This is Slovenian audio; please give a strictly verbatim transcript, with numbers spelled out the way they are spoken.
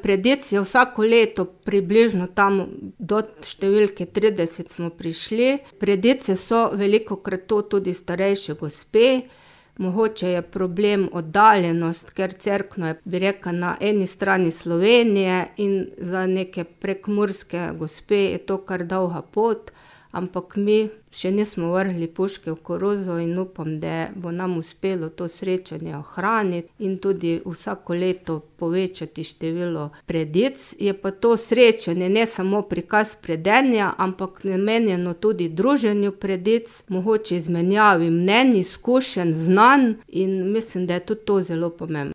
Predec je vsako leto približno tam do številke trideset smo prišli. Predece so velikokrat to tudi starejše gospe. Mogoče je problem oddaljenost, ker Cerkno je, bi rekla, na eni strani Slovenije in za neke prekmurske gospe je to kar dolga pot, ampak mi še nismo vrgli puške v koruzo in upam, da bo nam uspelo to srečanje ohraniti in tudi vsako leto povečati število predec. Je pa to srečanje ne samo prikaz predenja, ampak namenjeno tudi druženju predec, mogoče izmenjavi mnenj, izkušenj, znanj in mislim, da je tudi to zelo pomembno.